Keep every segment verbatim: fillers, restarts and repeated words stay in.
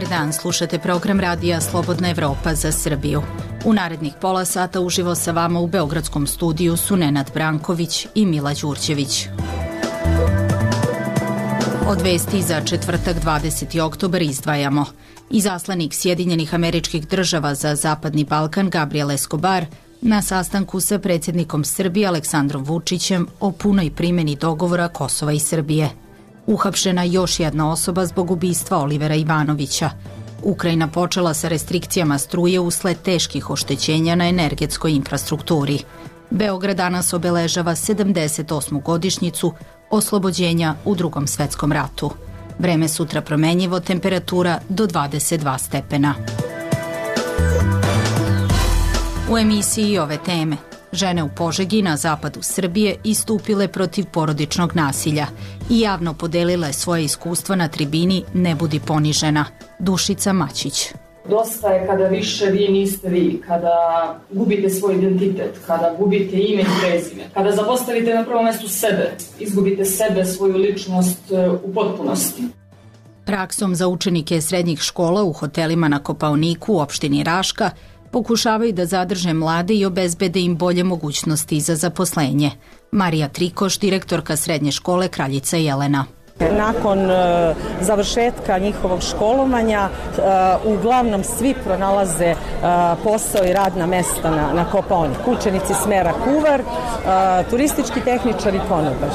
Dobar dan, slušate program radija Slobodna Evropa za Srbiju. U narednih pola sata uživo sa vama u Beogradskom studiju su Nenad Branković i Mila Đurđević. Od vesti za četvrtak dvadeseti oktobar izdvajamo. Izaslanik Sjedinjenih Američkih Država za Zapadni Balkan Gabriel Escobar na sastanku sa predsjednikom Srbije Aleksandrom Vučićem o punoj primjeni dogovora Kosova i Srbije. Uhapšena još jedna osoba zbog ubistva Olivera Ivanovića. Ukrajina počela sa restrikcijama struje usled teških oštećenja na energetskoj infrastrukturi. Beograd danas obeležava sedamdeset osmu godišnjicu oslobođenja u Drugom svetskom ratu. Vreme sutra promenjivo, temperatura do dvadeset dva stepena. U emisiji ove teme. Žene u Požegi na zapadu Srbije istupile protiv porodičnog nasilja i javno podelile svoje iskustva na tribini Ne budi ponižena. Dušica Mačić. Dosta je kada više vi niste vi, kada gubite svoj identitet, kada gubite ime i prezime, kada zapostavite na prvom mestu sebe, izgubite sebe, svoju ličnost u potpunosti. Praksom za učenike srednjih škola u hotelima na Kopaoniku u opštini Raška pokušavaju da zadrže mlade i obezbede im bolje mogućnosti za zaposlenje. Marija Trikoš, direktorka srednje škole Kraljica Jelena. Nakon uh, završetka njihovog školovanja uh, uglavnom svi pronalaze uh, posao i radna mesta na, na Kopaoniku. Učenici smera kuvar, uh, turistički tehničar i konobar.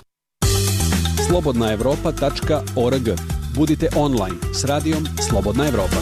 slobodna evropa tačka org. Budite online s radijom Slobodna Evropa.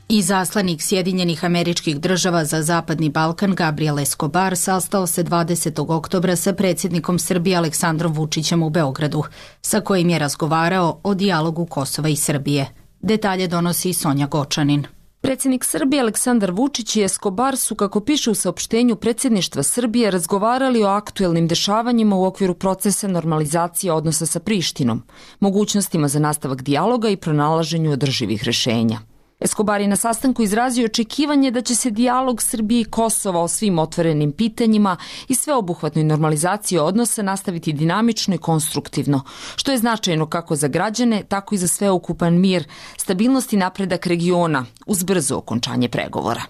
Izaslanik Sjedinjenih Američkih Država za Zapadni Balkan Gabriel Escobar sastao se dvadesetog oktobra sa predsjednikom Srbije Aleksandrom Vučićem u Beogradu, sa kojim je razgovarao o dijalogu Kosova i Srbije. Detalje donosi Sonja Gočanin. Predsjednik Srbije Aleksandar Vučić i Escobar su, kako piše u saopštenju predsjedništva Srbije, razgovarali o aktuelnim dešavanjima u okviru procesa normalizacije odnosa sa Prištinom, mogućnostima za nastavak dijaloga i pronalaženju održivih rešenja. Escobar je na sastanku izrazio očekivanje da će se dijalog Srbije i Kosova o svim otvorenim pitanjima i sveobuhvatnoj normalizaciji odnosa nastaviti dinamično i konstruktivno, što je značajno kako za građane, tako i za sveukupan mir, stabilnost i napredak regiona uz brzo okončanje pregovora,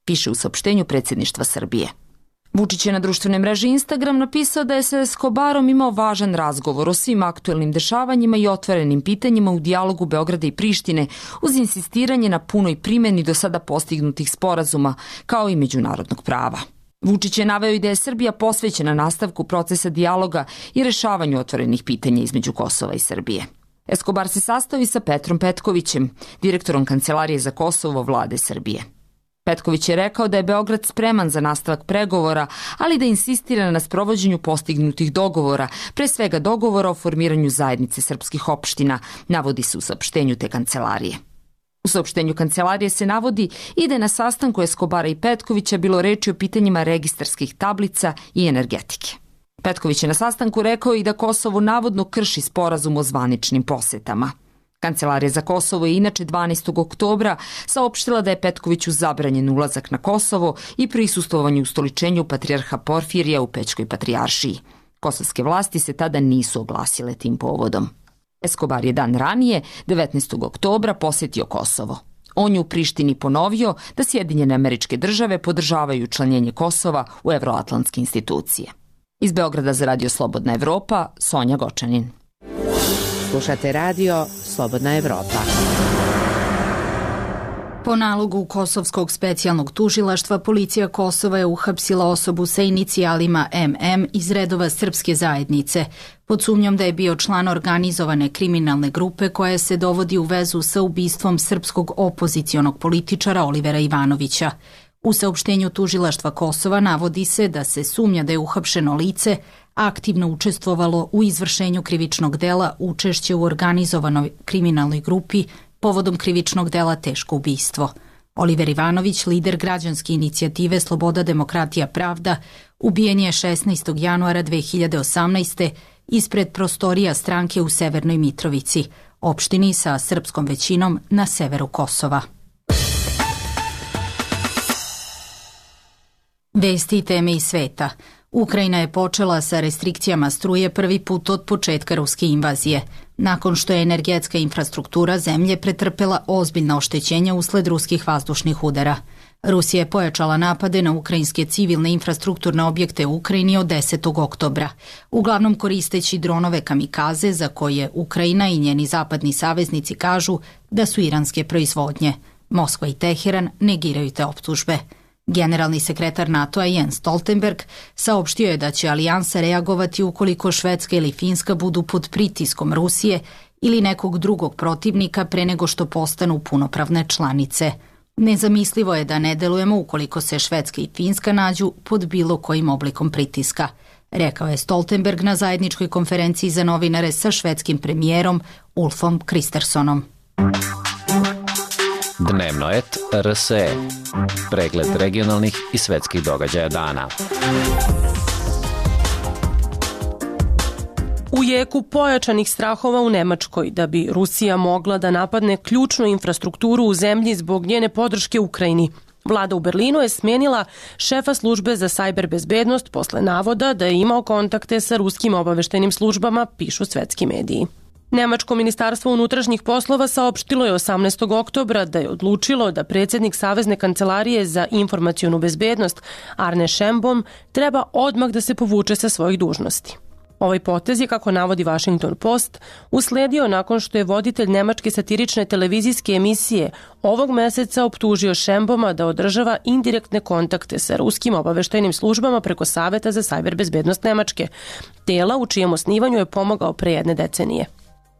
piše u saopštenju predsjedništva Srbije. Vučić je na društvenoj mreži Instagram napisao da je sa Escobarom imao važan razgovor o svim aktuelnim dešavanjima i otvorenim pitanjima u dijalogu Beograda i Prištine uz insistiranje na punoj primjeni do sada postignutih sporazuma, kao i međunarodnog prava. Vučić je naveo i da je Srbija posvećena nastavku procesa dijaloga i rešavanju otvorenih pitanja između Kosova i Srbije. Escobar se sastao i sa Petrom Petkovićem, direktorom Kancelarije za Kosovo vlade Srbije. Petković je rekao da je Beograd spreman za nastavak pregovora, ali da insistira na sprovođenju postignutih dogovora, pre svega dogovora o formiranju zajednice srpskih opština, navodi se u saopštenju te kancelarije. U saopštenju kancelarije se navodi i da je na sastanku Escobara i Petkovića bilo reči o pitanjima registarskih tablica i energetike. Petković je na sastanku rekao i da Kosovo navodno krši sporazum o zvaničnim posetama. Kancelarija za Kosovo je inače dvanaestog oktobra saopštila da je Petkoviću zabranjen ulazak na Kosovo i prisustvovanje ustoličenju patrijarha Porfirija u Pećkoj patrijaršiji. Kosovske vlasti se tada nisu oglasile tim povodom. Escobar je dan ranije, devetnaestog oktobra, posetio Kosovo. On je u Prištini ponovio da Sjedinjene Američke Države podržavaju učlanjenje Kosova u evroatlantske institucije. Iz Beograda za Radio Slobodna Evropa, Sonja Gočanin. Slušate radio Slobodna Evropa. Po nalogu Kosovskog specijalnog tužilaštva, policija Kosova je uhapsila osobu sa inicijalima M M iz redova srpske zajednice, pod sumnjom da je bio član organizovane kriminalne grupe koja se dovodi u vezu sa ubistvom srpskog opozicionog političara Olivera Ivanovića. U saopštenju tužilaštva Kosova navodi se da se sumnja da je uhapšeno lice aktivno učestvovalo u izvršenju krivičnog dela učešće u organizovanoj kriminalnoj grupi povodom krivičnog dela teško ubistvo. Oliver Ivanović, lider građanske inicijative Sloboda, demokratija, pravda, ubijen je šesnaestog januara dve hiljade osamnaeste. ispred prostorija stranke u Severnoj Mitrovici, opštini sa srpskom većinom na severu Kosova. Vesti i teme iz sveta. Ukrajina je počela sa restrikcijama struje prvi put od početka ruske invazije. nakon što je energetska infrastruktura zemlje pretrpela ozbiljna oštećenja usled ruskih vazdušnih udara. Rusija je pojačala napade na ukrajinske civilne infrastrukturne objekte u Ukrajini od desetog oktobra, uglavnom koristeći dronove kamikaze za koje Ukrajina i njeni zapadni saveznici kažu da su iranske proizvodnje. Moskva i Teheran negiraju te optužbe. Generalni sekretar NATO-a Jens Stoltenberg saopštio je da će alijansa reagovati ukoliko Švedska ili Finska budu pod pritiskom Rusije ili nekog drugog protivnika pre nego što postanu punopravne članice. Nezamislivo je da ne delujemo ukoliko se Švedska i Finska nađu pod bilo kojim oblikom pritiska, rekao je Stoltenberg na zajedničkoj konferenciji za novinare sa švedskim premijerom Ulfom Kristersonom. Dnevno et R S E. Pregled regionalnih i svetskih događaja dana. U jeku pojačanih strahova u Nemačkoj da bi Rusija mogla da napadne ključnu infrastrukturu u zemlji zbog njene podrške Ukrajini, vlada u Berlinu je smenila šefa službe za sajber bezbednost posle navoda da je imao kontakte sa ruskim obaveštajnim službama, pišu svetski mediji. Nemačko ministarstvo unutrašnjih poslova saopštilo je osamnaestog oktobra da je odlučilo da predsjednik Savezne kancelarije za informacionu bezbednost Arne Schönbohm treba odmah da se povuče sa svojih dužnosti. Ovaj potez je, kako navodi Washington Post, usledio nakon što je voditelj nemačke satirične televizijske emisije ovog meseca optužio Schönbohma da održava indirektne kontakte sa ruskim obaveštajnim službama preko Saveta za sajber bezbednost Nemačke, tela u čijem osnivanju je pomogao pre jedne decenije.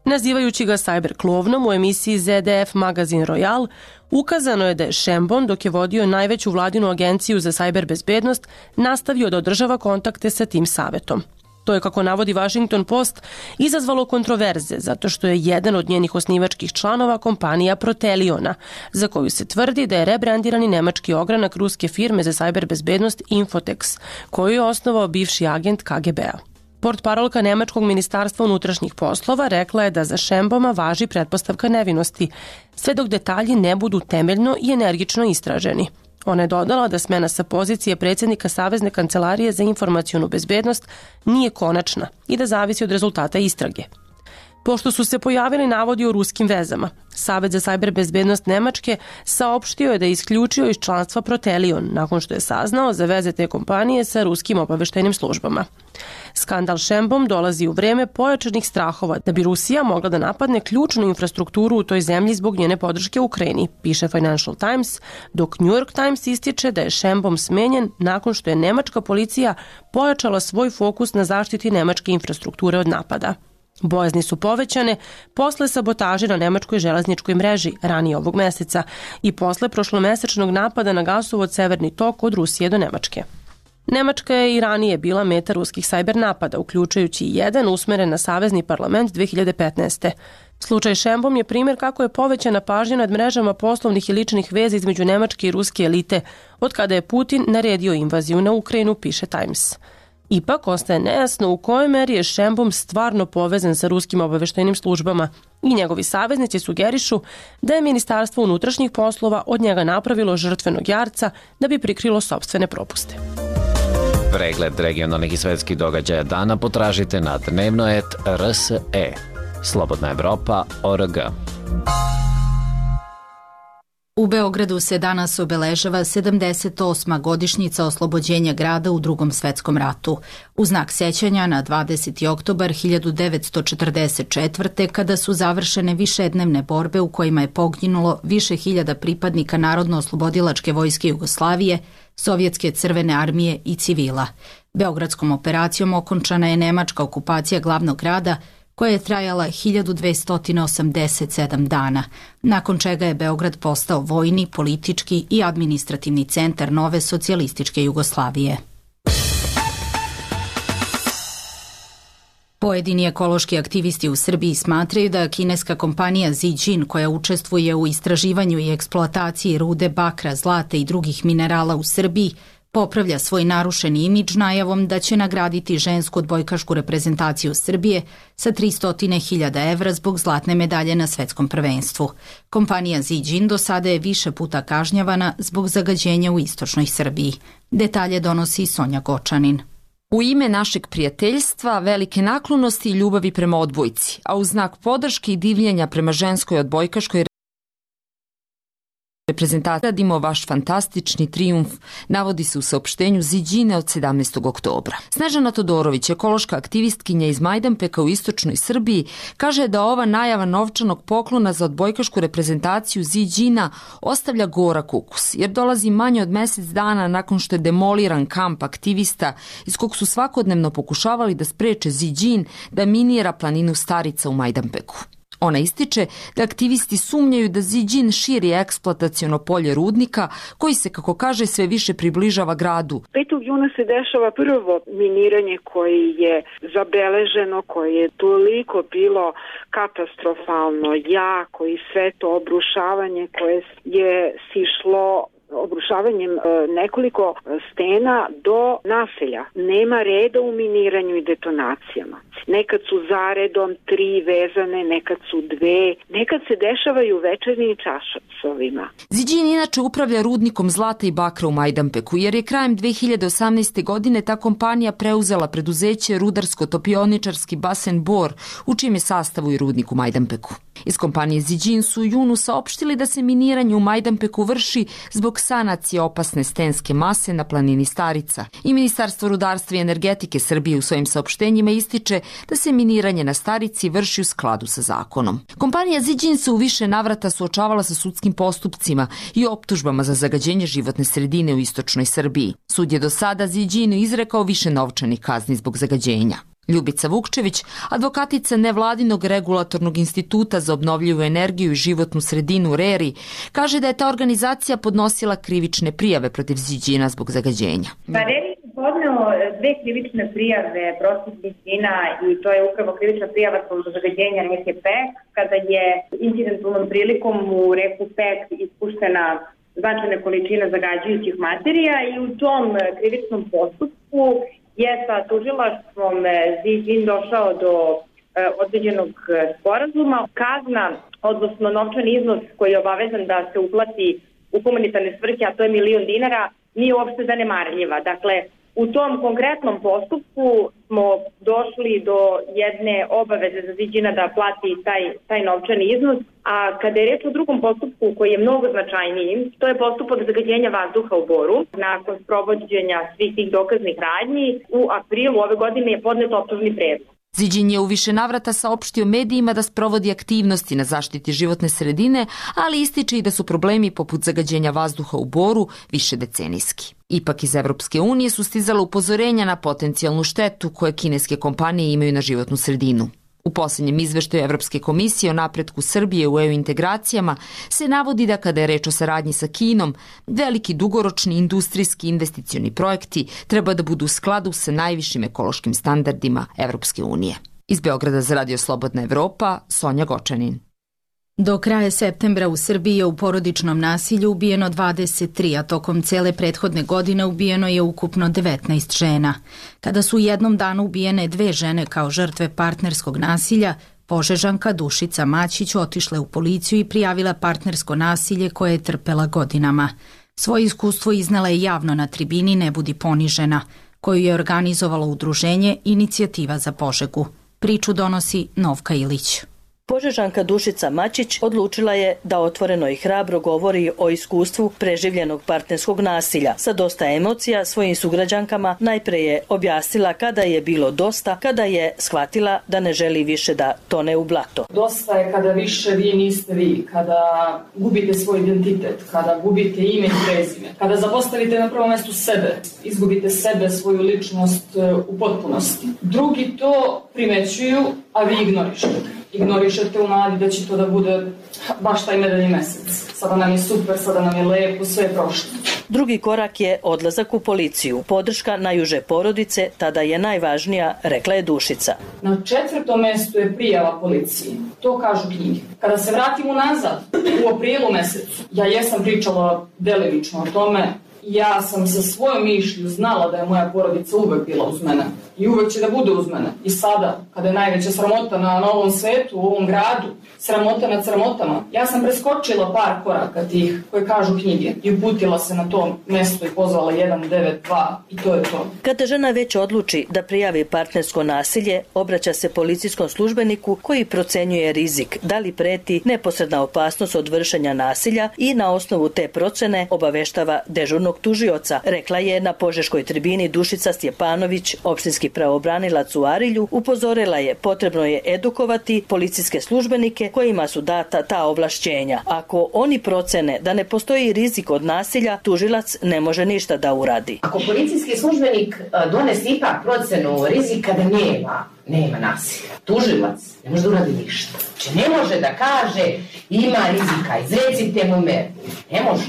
Nazivajući ga sajber klovnom u emisiji Z D F Magazin Royal, ukazano je da je Schönbohm, dok je vodio najveću vladinu agenciju za sajber bezbednost, nastavio da održava kontakte sa tim savetom. To je, kako navodi Washington Post, izazvalo kontroverze zato što je jedan od njenih osnivačkih članova kompanija Proteliona, za koju se tvrdi da je rebrandirani nemački ogranak ruske firme za sajber bezbednost Infotex, koju je osnovao bivši agent K G B-a. Portparolka Nemačkog ministarstva unutrašnjih poslova rekla je da za Schönbohma važi pretpostavka nevinosti, sve dok detalji ne budu temeljno i energično istraženi. Ona je dodala da smena sa pozicije predsjednika Savezne kancelarije za informacionu bezbednost nije konačna i da zavisi od rezultata istrage. Pošto su se pojavili navodi o ruskim vezama, Savet za sajber bezbednost Nemačke saopštio je da je isključio iz članstva Protelion nakon što je saznao za veze te kompanije sa ruskim obaveštajnim službama. Skandal Schönbohm dolazi u vreme pojačanih strahova da bi Rusija mogla da napadne ključnu infrastrukturu u toj zemlji zbog njene podrške Ukrajini, piše Financial Times, dok New York Times ističe da je Schönbohm smenjen nakon što je nemačka policija pojačala svoj fokus na zaštiti nemačke infrastrukture od napada. Bojazni su povećane posle sabotaže na nemačkoj železničkoj mreži ranije ovog meseca i posle prošlomesečnog napada na gasovod Severni tok od Rusije do Nemačke. Nemačka je i ranije bila meta ruskih sajber napada, uključujući i jedan usmeren na Savezni parlament dve hiljade petnaeste. Slučaj Schönbohm je primjer kako je povećana pažnja nad mrežama poslovnih i ličnih veza između nemačke i ruske elite, od kada je Putin naredio invaziju na Ukrajinu, piše Times. Ipak ostaje nejasno u kojoj meri je Schönbohm stvarno povezan sa ruskim obaveštajnim službama i njegovi saveznici sugerišu da je Ministarstvo unutrašnjih poslova od njega napravilo žrtvenog jarca da bi prikrilo sopstvene propuste. Pregled regionalnih i svetskih događaja dana potražite na dnevno et R S E. Slobodna Evropa O R G. U Beogradu se danas obeležava sedamdeset osma godišnjica oslobođenja grada u Drugom svetskom ratu. U znak sećanja na dvadeseti oktobar hiljadu devetsto četrdeset četvrte. kada su završene višednevne borbe u kojima je poginulo više hiljada pripadnika Narodno-oslobodilačke vojske Jugoslavije, Sovjetske crvene armije i civila. Beogradskom operacijom okončana je nemačka okupacija glavnog grada, koja je trajala hiljadu dvesta osamdeset sedam dana, nakon čega je Beograd postao vojni, politički i administrativni centar nove socijalističke Jugoslavije. Pojedini ekološki aktivisti u Srbiji smatraju da kineska kompanija Zijin, koja učestvuje u istraživanju i eksploataciji rude bakra, zlata i drugih minerala u Srbiji, popravlja svoj narušeni imidž najavom da će nagraditi žensku odbojkašku reprezentaciju Srbije sa tristo hiljada evra zbog zlatne medalje na svetskom prvenstvu. Kompanija Zijin do sada je više puta kažnjavana zbog zagađenja u istočnoj Srbiji. Detalje donosi Sonja Gočanin. U ime našeg prijateljstva, velike naklonosti i ljubavi prema odbojci, a u znak podrške i divljenja prema ženskoj odbojkaškoj reprezentaciji radimo vaš fantastični trijumf, navodi se u saopštenju Ziđine od sedamnaestog oktobra. Snežana Todorović, ekološka aktivistkinja iz Majdanpeka u istočnoj Srbiji, kaže da ova najava novčanog poklona za odbojkašku reprezentaciju Ziđina ostavlja gorak ukus, jer dolazi manje od mesec dana nakon što je demoliran kamp aktivista iz kog su svakodnevno pokušavali da spreče Ziđin da minira planinu Starica u Majdanpeku. Ona ističe da aktivisti sumnjaju da Ziđin širi eksploataciono polje rudnika koji se, kako kaže, sve više približava gradu. petog juna se dešava prvo miniranje koje je zabeleženo, koje je toliko bilo katastrofalno jako i sve to obrušavanje koje je sišlo obrušavanjem nekoliko stena do naselja. Nema reda u miniranju i detonacijama. Nekad su zaredom tri vezane, nekad su dve, nekad se dešavaju u večernjim časovima. Ziđin inače upravlja rudnikom zlata i bakra u Majdanpeku, jer je krajem dve hiljade osamnaeste. godine ta kompanija preuzela preduzeće rudarsko-topioničarski basen Bor, u čijem je sastavu i rudnik u Majdanpeku. Iz kompanije Ziđin su u junu saopštili da se miniranje u Majdanpeku vrši zbog sanacije opasne stenske mase na planini Starica. I Ministarstvo rudarstva i energetike Srbije u svojim saopštenjima ističe da se miniranje na Starici vrši u skladu sa zakonom. Kompanija Ziđin se u više navrata suočavala sa sudskim postupcima i optužbama za zagađenje životne sredine u istočnoj Srbiji. Sud je do sada Ziđinu izrekao više novčanih kazni zbog zagađenja. Ljubica Vukčević, advokatica nevladinog regulatornog instituta za obnovljivu energiju i životnu sredinu RERI, kaže da je ta organizacija podnosila krivične prijave protiv Ziđina zbog zagađenja. Pa RERI je podneo dve krivične prijave protiv Ziđina i to je upravo krivična prijava zbog zagađenja reke Pek, kada je incidentalnom prilikom u reku Pek ispuštena značajna količina zagađujućih materija i u tom krivičnom postupku je sa tužilaštvom Ziđin došao do e, određenog sporazuma. Kazna, odnosno novčani iznos koji je obavezan da se uplati u humanitarne svrhe, a to je milion dinara, nije uopšte zanemarljiva. Dakle, u tom konkretnom postupku smo došli do jedne obaveze za Ziđina da plati taj, taj novčani iznos, a kada je reč o drugom postupku koji je mnogo značajniji, to je postupak zagađenja vazduha u Boru. Nakon sprovođenja svih tih dokaznih radnji, u aprilu ove godine je podnet optužni predlog. Ziđin je u više navrata saopštio medijima da sprovodi aktivnosti na zaštiti životne sredine, ali ističe i da su problemi poput zagađenja vazduha u Boru višedecenijski. Ipak iz Evropske unije su stizala upozorenja na potencijalnu štetu koje kineske kompanije imaju na životnu sredinu. U posljednjem izveštaju Evropske komisije o napretku Srbije u E U integracijama se navodi da kada je reč o saradnji sa Kinom, veliki dugoročni industrijski investicioni projekti treba da budu u skladu sa najvišim ekološkim standardima Evropske unije. Iz Beograda za Radio Slobodna Evropa, Sonja Gočanin. Do kraja septembra u Srbiji je u porodičnom nasilju ubijeno dvadeset tri, a tokom cele prethodne godine ubijeno je ukupno devetnaest žena. Kada su u jednom danu ubijene dve žene kao žrtve partnerskog nasilja, Požežanka Dušica Maćić otišla u policiju i prijavila partnersko nasilje koje je trpela godinama. Svoje iskustvo iznala je javno na tribini Ne budi ponižena, koju je organizovalo udruženje Inicijativa za Požegu. Priču donosi Novka Ilić. Požežanka Dušica Maćić odlučila je da otvoreno i hrabro govori o iskustvu preživljenog partnerskog nasilja. Sa dosta emocija svojim sugrađankama najpre je objasnila kada je bilo dosta, kada je shvatila da ne želi više da tone u blato. Dosta je kada više vi niste vi, kada gubite svoj identitet, kada gubite ime i prezime, kada zapostavite na prvom mestu sebe, izgubite sebe, svoju ličnost u potpunosti. Drugi to primećuju, a vi ignorišete. Ignorišete u nadi da će to da bude baš taj medeljni mesec. Sada nam je super, sada nam je lepo, sve je prošlo. Drugi korak je odlazak u policiju. Podrška najuže porodice tada je najvažnija, rekla je Dušica. Na četvrtom mestu je prijava policiji. To kažu knjige. Kada se vratimo nazad, u aprilu mesecu, ja jesam pričala delimično o tome. Ja sam sa svojom mišlju znala da je moja porodica uvek bila uz mene. I uvek će da bude uz mene. I sada, kada je najveća sramota na novom svetu, u ovom gradu, sramota nad sramotama. Ja sam preskočila par koraka tih koje kažu knjige i uputila se na to mesto i pozvala jedan devet dva i to je to. Kada žena već odluči da prijavi partnersko nasilje, obraća se policijskom službeniku koji procenjuje rizik, da li preti neposredna opasnost od vršenja nasilja i na osnovu te procene obaveštava dežurnog tužioca, rekla je na Požeškoj tribini Dušica Stjepanović, opštinski pravobranilac u Arilju. Upozorila je potrebno je edukovati policijske službenike kojima su data ta ovlašćenja. Ako oni procene da ne postoji rizik od nasilja, tužilac ne može ništa da uradi. Ako policijski službenik donese ipak procenu rizika da nema, nema nasilja, tužilac ne može da uradi ništa. Znači ne može da kaže ima rizika, izrecite mu meru. Ne može.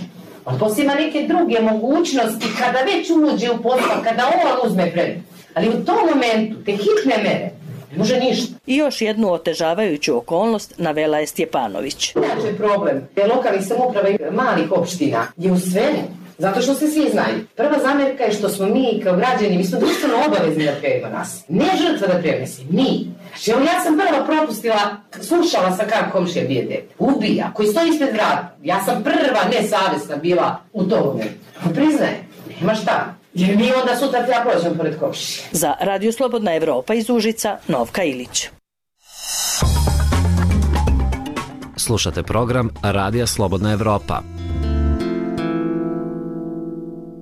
On poslije ima neke druge mogućnosti kada već uđe u postupak, kada on uzme predmet. Ali u tom momentu, te hitne mere, ne može ništa. I još jednu otežavajuću okolnost navela je Stjepanović. Inače problem je lokalnih samouprava i malih opština je u svemu, zato što se svi znaju. Prva zamjerka je što smo mi kao građani, mi smo društveno obavezni da prijavimo nas. Ne žrtva da prijavimo se, mi. Znači, evo ja sam prva propustila, slušala sam kako komšija bije dete. Ubija, koji stoji ispred vrata. Ja sam prva nesavjesna bila u tom momentu. Priznajem, nema šta. Jer mi onda sutra treba prođemo pored komšije. Za Radio Slobodna Evropa iz Užica, Novka Ilić. Slušate program Radija Slobodna Evropa.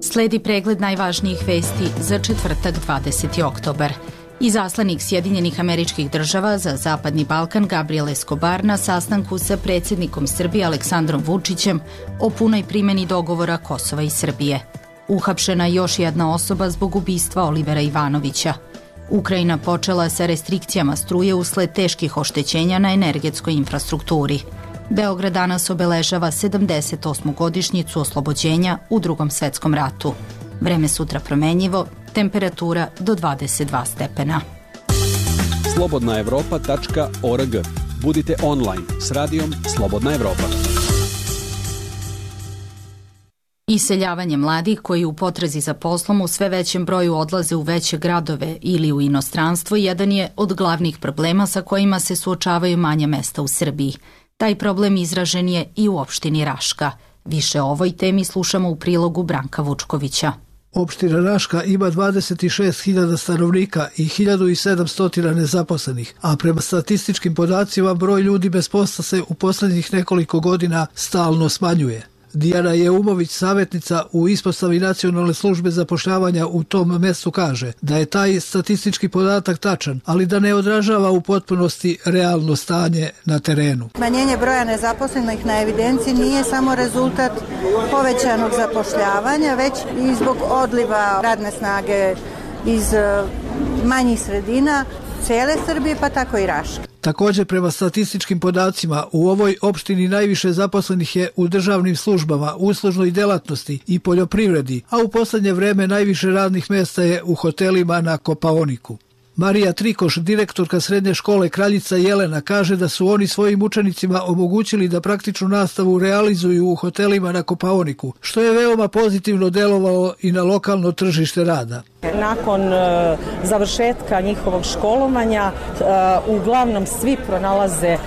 Sledi pregled najvažnijih vesti za četvrtak dvadeseti oktobar. Izaslanik Sjedinjenih Američkih Država za Zapadni Balkan Gabriel Escobar na sastanku sa predsjednikom Srbije Aleksandrom Vučićem o punoj primjeni dogovora Kosova i Srbije. Uhapšena još jedna osoba zbog ubistva Olivera Ivanovića. Ukrajina počela sa restrikcijama struje usled teških oštećenja na energetskoj infrastrukturi. Beograd danas obeležava sedamdeset osmu godišnjicu oslobođenja u Drugom svetskom ratu. Vreme sutra promenjivo, temperatura do dvadeset dva stepena. slobodna evropa tačka org. Budite online s radijom Slobodna Evropa. Iseljavanje mladih koji u potrazi za poslom u sve većem broju odlaze u veće gradove ili u inostranstvo jedan je od glavnih problema sa kojima se suočavaju manja mesta u Srbiji. Taj problem izražen je i u opštini Raška. Više o ovoj temi slušamo u prilogu Branka Vučkovića. Opština Raška ima dvadeset šest hiljada stanovnika i hiljadu sedamsto nezaposlenih, a prema statističkim podacima broj ljudi bez posla se u posljednjih nekoliko godina stalno smanjuje. Dijana Jeumović, savjetnica u ispostavi Nacionalne službe zapošljavanja u tom mjestu, kaže da je taj statistički podatak tačan, ali da ne odražava u potpunosti realno stanje na terenu. Smanjenje broja nezaposlenih na evidenciji nije samo rezultat povećanog zapošljavanja, već i zbog odliva radne snage iz manjih sredina cijele Srbije, pa tako i Raške. Također, prema statističkim podacima, u ovoj opštini najviše zaposlenih je u državnim službama, uslužnoj delatnosti i poljoprivredi, a u posljednje vreme najviše radnih mjesta je u hotelima na Kopaoniku. Marija Trikoš, direktorka srednje škole Kraljica Jelena, kaže da su oni svojim učenicima omogućili da praktičnu nastavu realizuju u hotelima na Kopaoniku, što je veoma pozitivno delovalo i na lokalno tržište rada. Nakon e, završetka njihovog školovanja e, uglavnom svi pronalaze e,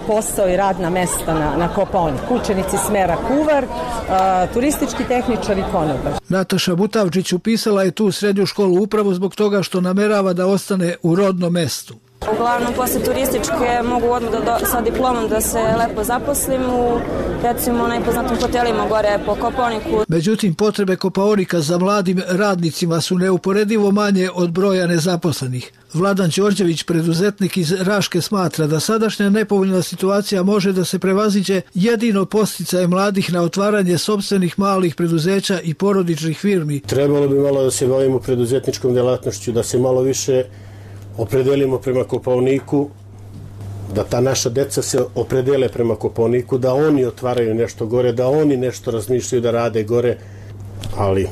posao i radna mesta na, na Kopaoniku. Učenici smera kuvar, e, turistički tehničar i konobar. Nataša Butavčić upisala je tu srednju školu upravo zbog toga što namerava da ostane u rodnom mestu. Uglavnom, posle turističke mogu odmah da do, sa diplomom da se lepo zaposlim u, recimo, najpoznatim hotelima gore po Kopaoniku. Međutim, potrebe Kopaonika za mladim radnicima su neuporedivo manje od broja nezaposlenih. Vladan Đorđević, preduzetnik iz Raške, smatra da sadašnja nepovoljna situacija može da se prevaziđe jedino posticaje mladih na otvaranje sopstvenih malih preduzeća i porodičnih firmi. Trebalo bi malo da se bavimo preduzetničkom delatnošću, da se malo više opredelimo prema Kopaoniku, da ta naša deca se opredele prema Kopaoniku, da oni otvaraju nešto gore, da oni nešto razmišljaju da rade gore, ali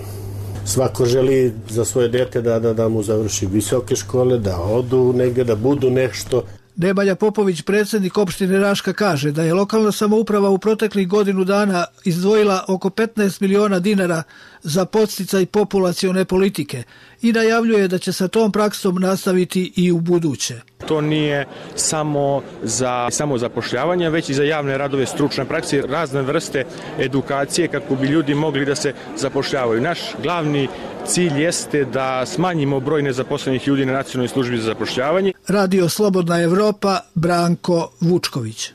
svako želi za svoje dete da, da, da mu završi visoke škole, da odu negdje, da budu nešto. Nemanja Popović, predsjednik opštine Raška, kaže da je lokalna samouprava u proteklih godinu dana izdvojila oko petnaest miliona dinara za podsticaj populacione politike i najavljuje da će sa tom praksom nastaviti i u buduće. To nije samo za samozapošljavanje, već i za javne radove, stručne prakse, razne vrste edukacije kako bi ljudi mogli da se zapošljavaju. Naš glavni cilj jeste da smanjimo broj nezaposlenih ljudi na Nacionalnoj službi za zapošljavanje. Radio Slobodna Evropa, Branko Vučković.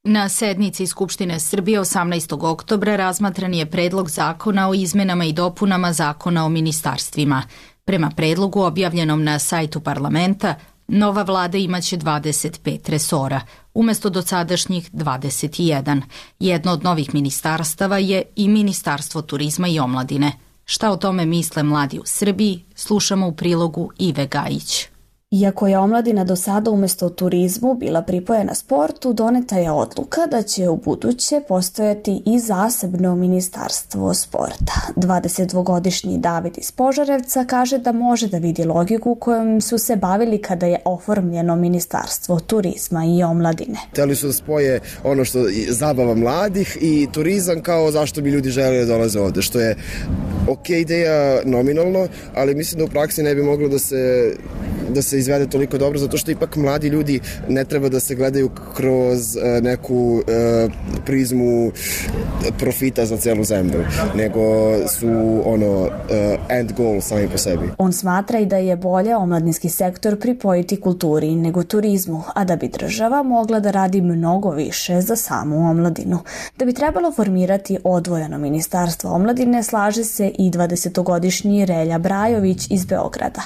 Na sednici Skupštine Srbije osamnaestog oktobra razmatran je predlog zakona o izmenama i dopunama zakona o ministarstvima. Prema predlogu objavljenom na sajtu parlamenta, nova vlada imaće dvadeset pet resora, umesto dosadašnjih dvadeset jedan. Jedno od novih ministarstava je i Ministarstvo turizma i omladine. Šta o tome misle mladi u Srbiji, slušamo u prilogu Ive Gajić. Iako je omladina do sada umjesto turizmu bila pripojena sportu, doneta je odluka da će u buduće postojati i zasebno ministarstvo sporta. dvadesetdvogodišnji David iz Požarevca kaže da može da vidi logiku kojom su se bavili kada je oformljeno ministarstvo turizma i omladine. Hteli su da spoje ono što je zabava mladih i turizam kao zašto bi ljudi želeli da dolaze ovde, što je ok ideja nominalno, ali mislim da u praksi ne bi moglo da se da se izvede toliko dobro, zato što ipak mladi ljudi ne treba da se gledaju kroz uh, neku uh, prizmu profita za celu zemlju, nego su ono uh, end goal sami po sebi. On smatra i da je bolje omladinski sektor pripojiti kulturi nego turizmu, a da bi država mogla da radi mnogo više za samu omladinu. Da bi trebalo formirati odvojeno ministarstvo omladine, slaže se i dvadesetogodišnji Relja Brajović iz Beograda.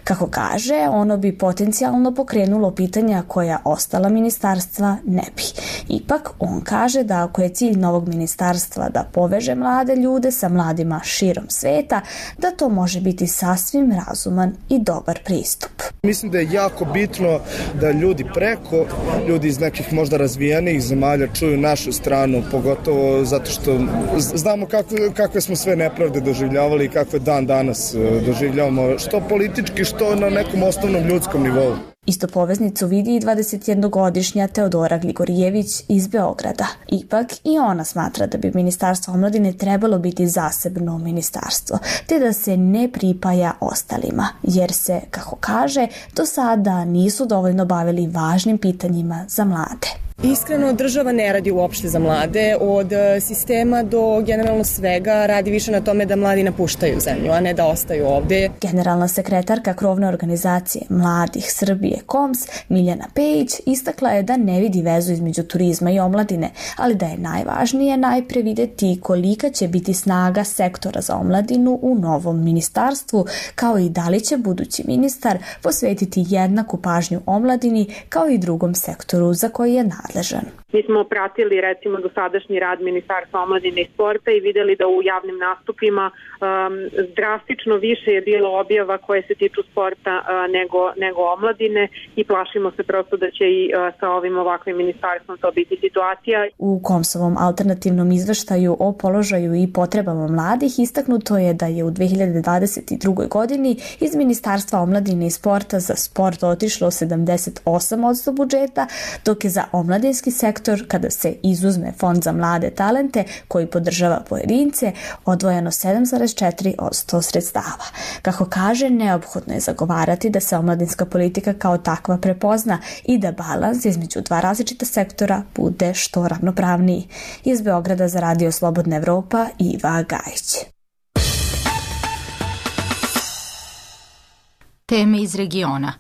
Kako kaže, ono bi potencijalno pokrenulo pitanja koja ostala ministarstva ne bi. Ipak, on kaže da ako je cilj novog ministarstva da poveže mlade ljude sa mladima širom sveta, da to može biti sasvim razuman i dobar pristup. Mislim da je jako bitno da ljudi preko, ljudi iz nekih možda razvijenih zemalja čuju našu stranu, pogotovo zato što znamo kakve, kakve smo sve nepravde doživljavali i kakve dan danas doživljavamo, što politički, što na nekom osnovnom ljudskom nivou. Isto poveznicu vidi i dvadesetjednogodišnja Teodora Gligorijević iz Beograda. Ipak i ona smatra da bi Ministarstvo omladine trebalo biti zasebno ministarstvo, te da se ne pripaja ostalima, jer se, kako kaže, do sada nisu dovoljno bavili važnim pitanjima za mlade. Iskreno, država ne radi uopšte za mlade, od sistema do generalno svega radi više na tome da mladi napuštaju zemlju, a ne da ostaju ovde. Generalna sekretarka krovne organizacije Mladih Srbije Koms, Miljana Pejić, istakla je da ne vidi vezu između turizma i omladine, ali da je najvažnije najpre videti kolika će biti snaga sektora za omladinu u novom ministarstvu, kao i da li će budući ministar posvetiti jednaku pažnju omladini kao i drugom sektoru za koji je nadležan. Mi smo pratili recimo dosadašnji rad Ministarstva omladine i sporta i videli da u javnim nastupima um, drastično više je bilo objava koje se tiču sporta uh, nego, nego omladine i plašimo se prosto da će i uh, sa ovim ovakvim ministarstvom to biti situacija. U Komsovom alternativnom izveštaju o položaju i potrebama mladih istaknuto je da je u dve hiljade dvadeset drugoj godini iz Ministarstva omladine i sporta za sport otišlo sedamdeset osam posto budžeta, dok je za omladinski sektor, kada se izuzme Fond za mlade talente koji podržava pojedince, odvojeno sedam zarez četiri posto sredstava. Kako kaže, neophodno je zagovarati da se omladinska politika kao takva prepozna i da balans između dva različita sektora bude što ravnopravniji. Iz Beograda za Radio Slobodna Evropa, Iva Gajić. Teme iz regiona.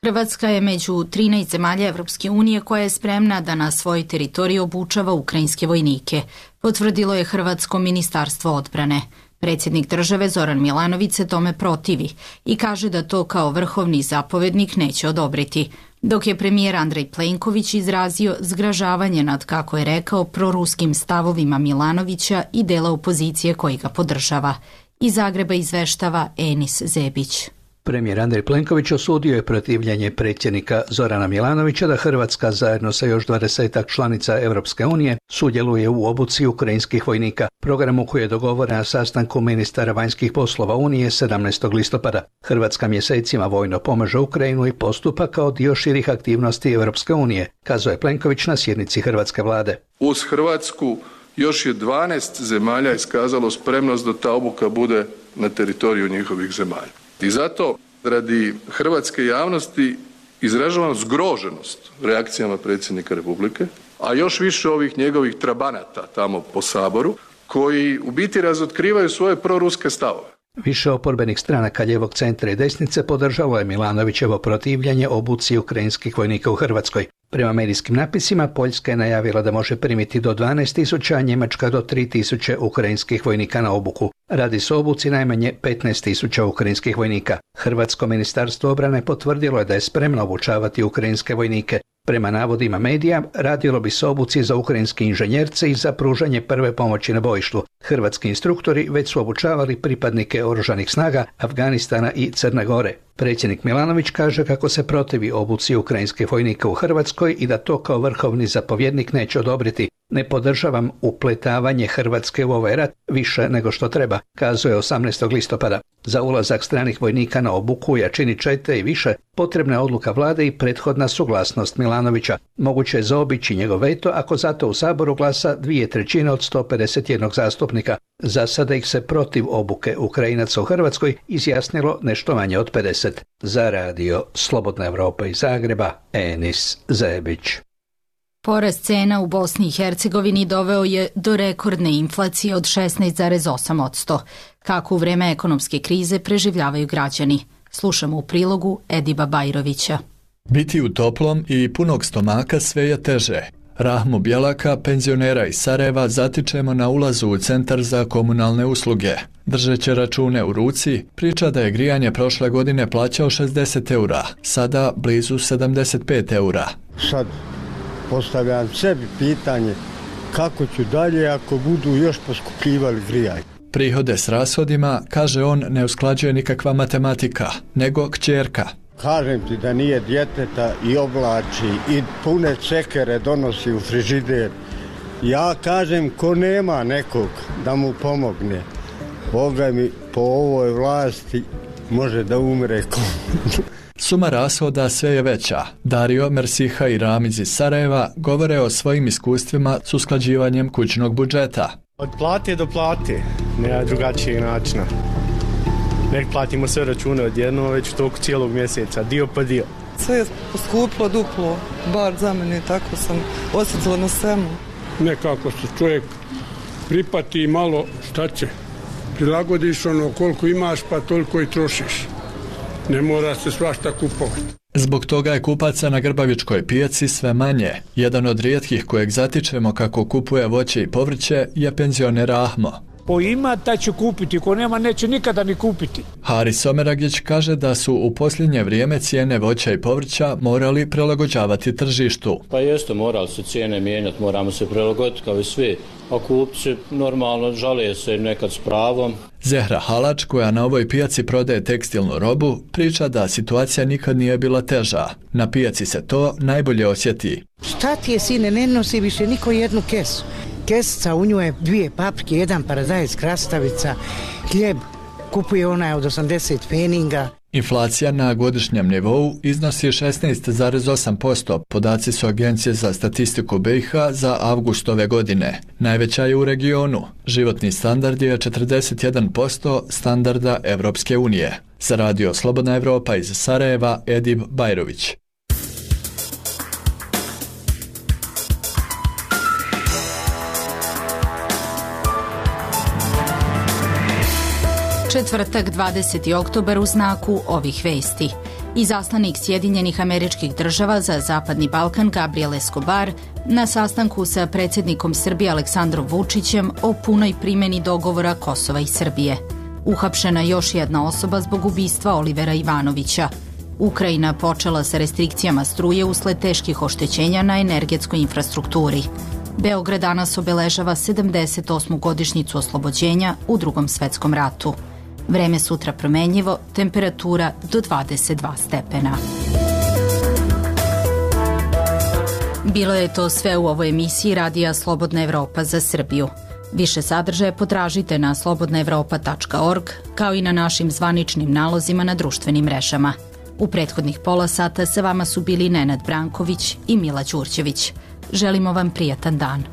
Hrvatska je među trinaest zemalja Evropske unije koja je spremna da na svojoj teritoriji obučava ukrajinske vojnike, potvrdilo je Hrvatsko ministarstvo odbrane. Predsjednik države Zoran Milanović se tome protivi i kaže da to kao vrhovni zapovednik neće odobriti, dok je premijer Andrej Plenković izrazio zgražavanje nad, kako je rekao, proruskim stavovima Milanovića i dela opozicije koji ga podržava. Iz Zagreba izveštava Enis Zebić. Premijer Andrej Plenković osudio je protivljenje predsjednika Zorana Milanovića da Hrvatska zajedno sa još dvadesetak članica Europske unije sudjeluje u obuci ukrajinskih vojnika, programu koji je dogovoren na sastanku ministara vanjskih poslova Unije sedamnaestog listopada. Hrvatska mjesecima vojno pomaže Ukrajinu i postupa kao dio širih aktivnosti Europske unije, kazao je Plenković na sjednici hrvatske vlade. Uz Hrvatsku još je dvanaest zemalja iskazalo spremnost da ta obuka bude na teritoriju njihovih zemalja. I zato, radi hrvatske javnosti izražavam zgroženost reakcijama predsjednika Republike, a još više ovih njegovih trabanata tamo po Saboru, koji u biti razotkrivaju svoje proruske stavove. Više oporbenih stranaka ljevog centra i desnice podržalo je Milanovićevo protivljenje obuci ukrajinskih vojnika u Hrvatskoj. Prema medijskim napisima, Poljska je najavila da može primiti do dvanaest tisuća, a Njemačka do tri tisuće ukrajinskih vojnika na obuku. Radi se o obuci najmanje petnaest tisuća ukrajinskih vojnika. Hrvatsko ministarstvo obrane potvrdilo je da je spremno obučavati ukrajinske vojnike. Prema navodima medija, radilo bi se o obuci za ukrajinske inženjerce i za pružanje prve pomoći na bojištu. Hrvatski instruktori već su obučavali pripadnike oružanih snaga Afganistana i Crne Gore. Predsjednik Milanović kaže kako se protivi obuci ukrajinskih vojnika u Hrvatskoj i da to kao vrhovni zapovjednik neće odobriti. Ne podržavam upletavanje Hrvatske u ovaj rat više nego što treba, kazuje osamnaestog listopada. Za ulazak stranih vojnika na obuku u jačini čete i više potrebna je odluka vlade i prethodna suglasnost Milanovića. Moguće je zaobići njegov veto ako zato u Saboru glasa dvije trećine od sto pedeset jedan zastupnika. Za sada ih se protiv obuke Ukrajinaca u Hrvatskoj izjasnilo nešto manje od pedeset. Za radio Slobodna Evropa iz Zagreba, Enis Zebić. Porast cena u Bosni i Hercegovini doveo je do rekordne inflacije od šesnaest zarez osam posto. Kako u vreme ekonomske krize preživljavaju građani? Slušamo u prilogu Ediba Bajrovića. Biti u toplom i punog stomaka sve je teže. Rahmu Bjelaka, penzionera iz Sarajeva, zatičemo na ulazu u Centar za komunalne usluge. Držeći račune u ruci, priča da je grijanje prošle godine plaćao šezdeset eura, sada blizu sedamdeset pet eura. Sad postavljam sebi pitanje kako ću dalje ako budu još poskupljivali grijanje. Prihode s rashodima, kaže on, ne usklađuje nikakva matematika, nego kćerka. Kažem ti da nije djeteta i oblači i pune cekere donosi u frižider. Ja kažem ko nema nekog da mu pomogne. Boga mi po ovoj vlasti može da umre ko. Suma rashoda sve je veća. Dario, Mersiha i Ramiz iz Sarajeva govore o svojim iskustvima s usklađivanjem kućnog budžeta. Od plate do plate, nema drugačijeg načina. Nek platimo sve račune odjedno već u toku cijelog mjeseca, dio pa dio. Sve je poskuplo duplo, bar za mene, tako sam osjetila na svemu. Nekako se čovjek pripati i malo, šta će, prilagodiš ono koliko imaš pa toliko i trošiš. Ne mora se svašta kupovati. Zbog toga je kupaca na Grbavičkoj pijaci sve manje. Jedan od rijetkih kojeg zatičemo kako kupuje voće i povrće je penzioner Ahmo. Ko ima, taj će kupiti, ko nema, neće nikada ni kupiti. Haris Someragić kaže da su u posljednje vrijeme cijene voća i povrća morali prilagođavati tržištu. Pa jeste, morali se cijene mijenjati, moramo se prilagoditi kao i svi. A kupci normalno žale se nekad s pravom. Zehra Halač, koja na ovoj pijaci prodaje tekstilnu robu, priča da situacija nikad nije bila teža. Na pijaci se to najbolje osjeti. Šta ti je, sine, ne nosi više niko jednu kesu. Kesica, u nju je dvije paprike, jedan paradajz, krastavica, hljeb, kupuje onaj od osamdeset pfeninga. Inflacija na godišnjem nivou iznosi šesnaest zarez osam posto, podaci su Agencije za statistiku B i H za avgust ove godine. Najveća je u regionu. Životni standard je četrdeset jedan posto standarda Evropske unije. Za radio Slobodna Evropa iz Sarajeva, Edib Bajrović. Četvrtak, dvadeseti oktobar, u znaku ovih vesti. Izaslanik Sjedinjenih Američkih Država za Zapadni Balkan Gabriel Escobar na sastanku sa predsjednikom Srbije Aleksandrom Vučićem o punoj primjeni dogovora Kosova i Srbije. Uhapšena još jedna osoba zbog ubistva Olivera Ivanovića. Ukrajina počela sa restrikcijama struje usled teških oštećenja na energetskoj infrastrukturi. Beograd danas obeležava sedamdeset osmu godišnjicu oslobođenja u Drugom svetskom ratu. Vreme sutra promenljivo, temperatura do dvadeset dva stepena. Bilo je to sve u ovoj emisiji Radija Slobodna Evropa za Srbiju. Više sadržaja potražite na slobodna evropa tačka org, kao i na našim zvaničnim nalozima na društvenim mrežama. U prethodnih pola sata sa vama su bili Nenad Branković i Mila Đurđević. Želimo vam prijatan dan.